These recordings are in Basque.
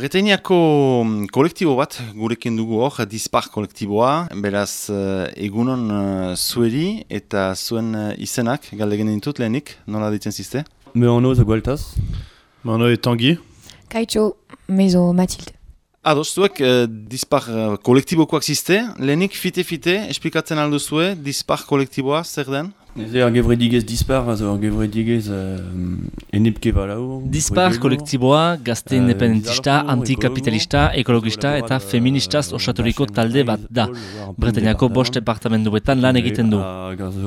Bretainiako kolektibo bat gurekin dugu hor, Dispar kolektiboa, beraz egunon zueri eta zuen izenak, galdegin ditut lehenik, nola ditzen zizte? Meono Zagualtaz. Meono Tanguy. Kaitxo, mezo Mathilde. Ados, zuek Dispar kolektibokoak zizte, lehenik fite-fite, esplikatzen alduzue, Dispar kolektiboa zer den? Zer gevredigez Dispar, gevredigez enipke balau. Dispar kolektiboa gazte independentista, antikapitalista, ekologista eta feministaz osaturiko talde bat da. Bretainiako 5 departamenduetan lan egiten du.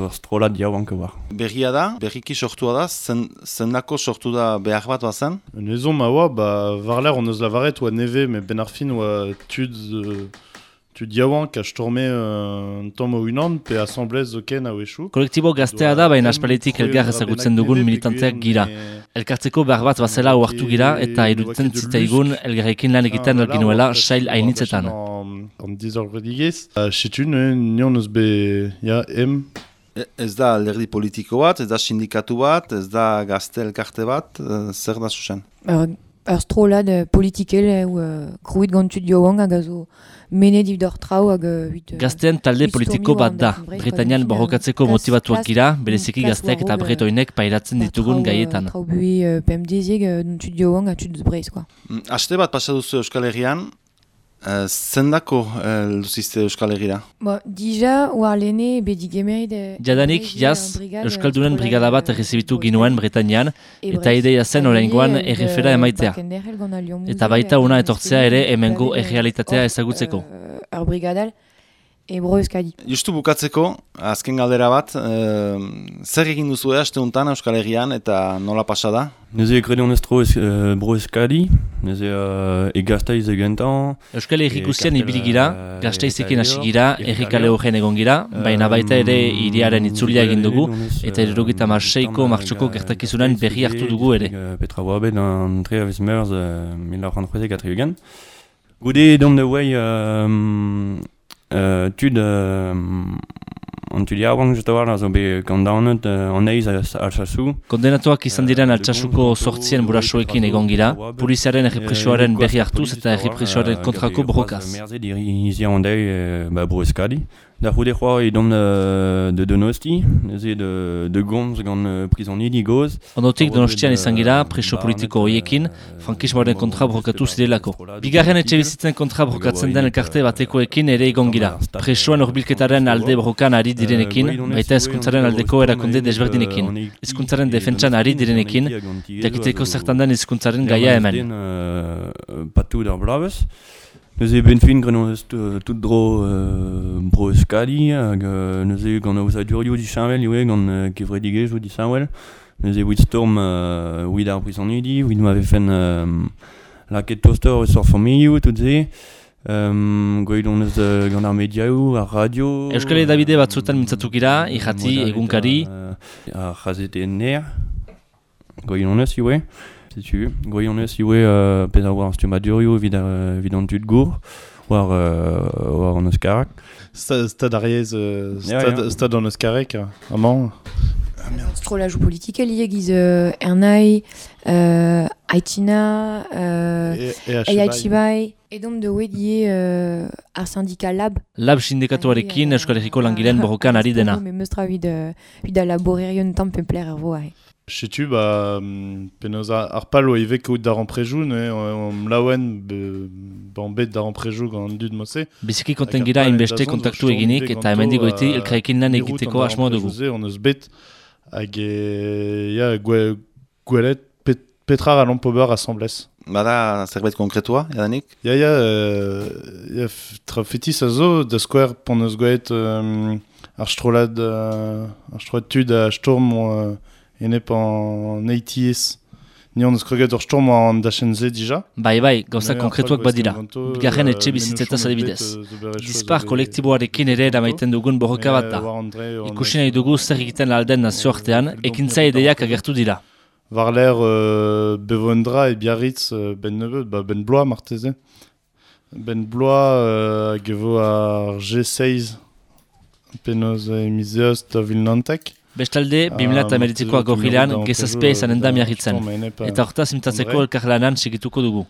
Astrolat diauanko bar. Berria da, berriki sortua da, zendako sortu da behar bat bazen? Nezon maua, varler on eus lavaret oa neve, me benarfin oa tud diauan ka storme un tomo unan, pe asamblez zoken hau esu. Kolektibo gaztea da, baina aspaletik elgar ezagutzen dugun militantzeak gira. Elkartzeko behar bat bazela oartu gira eta iruditzen zitzaigun elgarrekin lan egiten alginuela sail hainitzetan. On dizorredigez, setun, nion eus be, ja, Ez da alderdi politiko bat, ez da sindikatu bat, ez da gazte elkarte bat, zer da zuzen? Strolad politikel, gruit gantu diauan, agazo mene divdor trau, Gaztean talde politiko bat da. Bretainian borrokatzeko motivatuak gira, bereziki gazteak eta bretoinek pairatzen ditugun gaietan. Traubui PMDziek gantu diauan, gantu duzbreiz, quoi. Haste bat pasa duzu Euskal Herrian, zendako duzizte Euskal Herriera? Dija, oarlene, bedigemeid... Jadanik, jaz, Euskaldunen brigada bat errezibitu ginuen Bretainian, eta ideia zen oraingoan errefera emaitea. Eta baita una etortzea ere hemengo errealitatea ezagutzeko. Brigadal, ebro euskadi. Justu bukatzeko, azken galdera bat, zer egin duzu haste untan Euskal Herrian eta nola pasa da? Neze ekredon estro bro euskadi, neze egaztaiz egentan. Euskal Herrikusian ibili gira, gaztaizekin hasi gira, errikale horren egon gira, baina baita ere hiriaren itzulia egin dugu, eta 76ko martxoko gertakizunan berri hartu dugu ere. Petra Boabe dan Treavis Meurs 1934 eugen. Gude dom de wei tud on tudiauang jutawar azo be kondaunet on eiz altsasu. Kondenatuak izan diren Altsasuko 8 burasoekin egon gira, poliziaren errepresioaren berri hartuz eta errepresioaren kontrako borrokaz. Merze dirizi ondei bro euskadi. Da jude joa edom de Donosti, neze de Gomz gant prisoni digoz. Ondotik Donostian izan gira, preso politiko horiekin, frankismoaren kontra borrokatu zidelako. Bigarren etxe bizitzen kontra borrokatzen den elkarte batekoekin ere egon gira. Presoan horbilketaren alde borrokan ari direnekin, baita hezkuntzaren aldeko erakunde desberdinekin. Hezkuntzaren defentsan ari direnekin, jakiteko zertan den hezkuntzaren gaia hemen. Patu da blabez. Neuze benfin grenon ez tout dro bro euskadi, neuze gant eus adurioù di chanvel, gant kevredigez di sanvel. Neuze wid storm wid ar prisonidi, wid m'ave fen laket toaster eus ar familioù, tout ze. Goidon ez gant ar mediaou, ar radio. Euskal Edabide batzuetan mintzatu gira, irrati, egunkari. Ar jazete ner, goidon ez iwe. Goion eus iwe peza war stuma durio vid an tud gour war an eus karak. Stad ariez, stad an eus karek, amant. Strolajou politique lieg iz Ernai, Aitina, Eiachibai, edom de wedie ar syndicat Lab. Lab sindikatuarekin Euskal Herriko langileen borrokan ari dena. Memestra vid a laborerion tampempler ervoa. Setu, penoz ar pal oa ivek out d'ar amprejou, mlaouen bet d'ar amprejou gant dud mosse. Biziki konten gira inbeste kontaktu eginik eta hemendik goiti elkarrekin lan egiteko asmoa dugu. On eus bet hag gwelet petrar a l'ampober assemblez. Bada zerbait konkretua, jadanik? Ya trafetis a zo da skwer pon eus gwelet ar strolad tud a storm enep an eitiez. Ni on eus kreget ur storm an dachenze dija. Bai, gauza konkretuak badira. Bigarren etxe bizitzetaz adibidez. Dispar kolektiboarekin ere eramaiten dugun borroka bat da. Ikusi nahi dugu zer egiten alden nazioartean, ekintza ideiak agertu dira. Varler Bevondra et Biarritz ben neveu, ben bloa marteze. Ben bloa gevo ar G6 penoz emizeoz da Vilnantek. Bestalde, 2008ko agorrilean gezazpia izanen da miarritzen. Eta hortaz imitatzeko elkarlanan segituko dugu.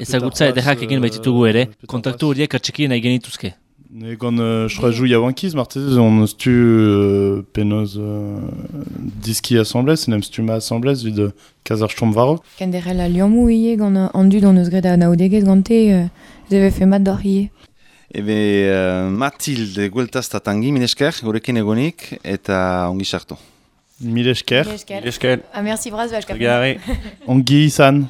Ezagutza ederrak egin baititugu ere, kontaktu horiek atxekien nahi genituzke. Egon, je crois, joue yawankiz, martez, on stu penoz diski assemblez, nem stu ma assemblez, vid Kazarsturm Varok. Kenderela liamou ie gant andu dans eus gret a naodeget gante, zeve fe mat d'or ie. Mathilde gueltaz tatangi, minesker, gurekin egonik, eta ongi sartu. Milesker. Esker. Ah, merci Braz, Gare. Ongi izan.